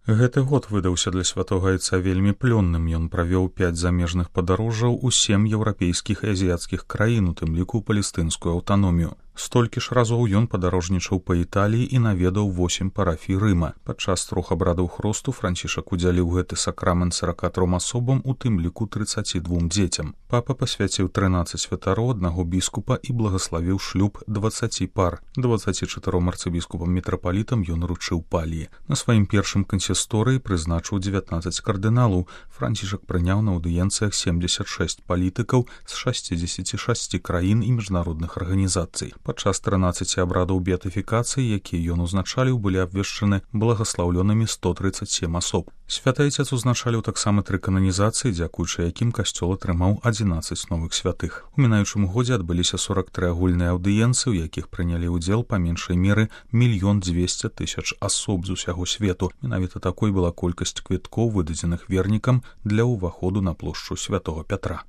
Гэты год выдаўся для святога айца вельмі плённым. Ён правёў 5 замежных падарожжаў у 7 еўрапейскіх і азіяцкіх краін, у тым ліку палестынскую аўтаномію. Столькі ж разоў ён падарожнічаў па Італіі і наведаў 8 парафій Рыма. Падчас 3 абрадаў хросту Францішак удзяліў гэты сакрамент 43 асобам, у тым ліку 32 дзецям. Папа пасвяціў 13 святароў, 1 біскупа і благаславіў шлюб 20 пар. 24 арцыбіскупам-мітрапалітам ён уручыў паліі. На сваім першым кансісторыі прызначыў 19 кардыналаў. Францішак прыняў на аўдыенцыях 76 палітыкаў з 66 краін і міжнародных арганізацый. Падчас 13 абрадаў беатыфікацыі, якія ён узначаліў, былі абвешчаны благаслаўлёнымі 137 асоб. Святы айцец узначаліў таксама 3 кананізацыі, дзякуючы якім касцёл атрымаў 11 новых святых. У мінаючым годзе адбыліся 43 агульныя аўдыенцыі, у якіх прынялі ўдзел па меншай меры 1 200 000 асоб з усяго свету. Менавіта такой была колькасць квіткоў, выдадзеных вернікам для ўваходу на плошчу святого Пятра.